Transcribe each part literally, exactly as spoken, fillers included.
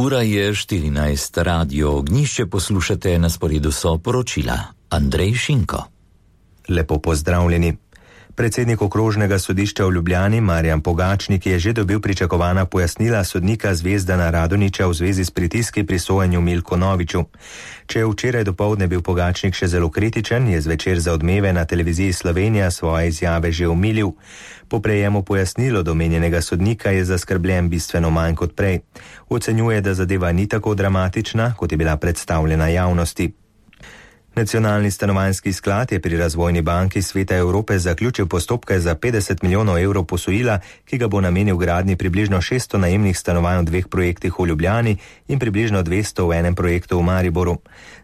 Ura je štirinajst, radio Ognjišče poslušate, na sporedu so poročila. Andrej Šinko. Lepo pozdravljeni. Predsednik okrožnega sodišča v Ljubljani Marjan Pogačnik je že dobil pričakovana pojasnila sodnika Zvezdana Radonjića v zvezi s pritiski pri sojenju Milku Noviču. Če je včeraj dopoldne bil Pogačnik še zelo kritičen, je zvečer za Odmeve na televiziji Slovenija svoje izjave že omilil. Po prejemu pojasnilo domenjenega sodnika je zaskrbljen bistveno manj kot prej. Ocenjuje, da zadeva ni tako dramatična, kot je bila predstavljena javnosti. Nacionalni stanovanjski sklad je pri Razvojni banki Sveta Evrope zaključil postopke za petdeset milijonov evrov posojila, ki ga bo namenil gradnji približno šeststo najemnih stanovanj v dveh projektih v Ljubljani in približno dvesto v enem projektu v Mariboru.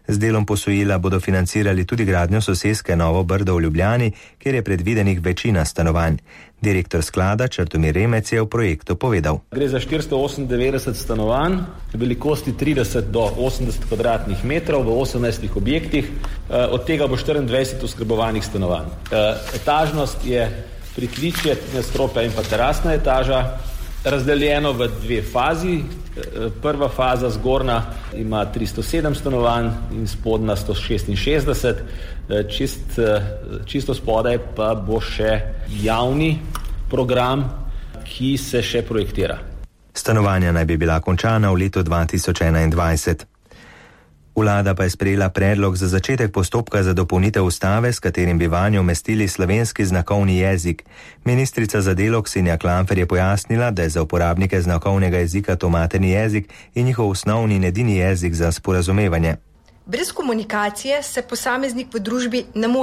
Z delom posojila bodo financirali tudi gradnjo soseske Novo Brdo v Ljubljani, kjer je predvidenih večina stanovanj. Direktor sklada Črtomir Remec je v projektu povedal. Gre za štiristo osemindevetdeset stanovanj, velikosti trideset do osemdeset kvadratnih metrov v osemnajstih objektih, od tega bo štiriindvajset oskrbovanih stanovanj. Etažnost je pritličje, nadstropja in pa terasna etaža, razdeljeno v dve fazi. Prva faza zgornja ima tristo sedem stanovanj in spodnja sto šestinšestdeset. Čist, čisto spodaj pa bo še javni program, ki se še projektira. Stanovanja naj bi bila končana v letu dva tisoč enaindvajset. Vlada pa je sprejela predlog za začetek postopka za dopolnitev ustave, s katerim bi vanjo umestili slovenski znakovni jezik. Ministrica za delo Ksenija Klampfer je pojasnila, da je za uporabnike znakovnega jezika to materni jezik in njihov osnovni in edini jezik za sporazumevanje. Brez komunikacije se posameznik v družbi ne more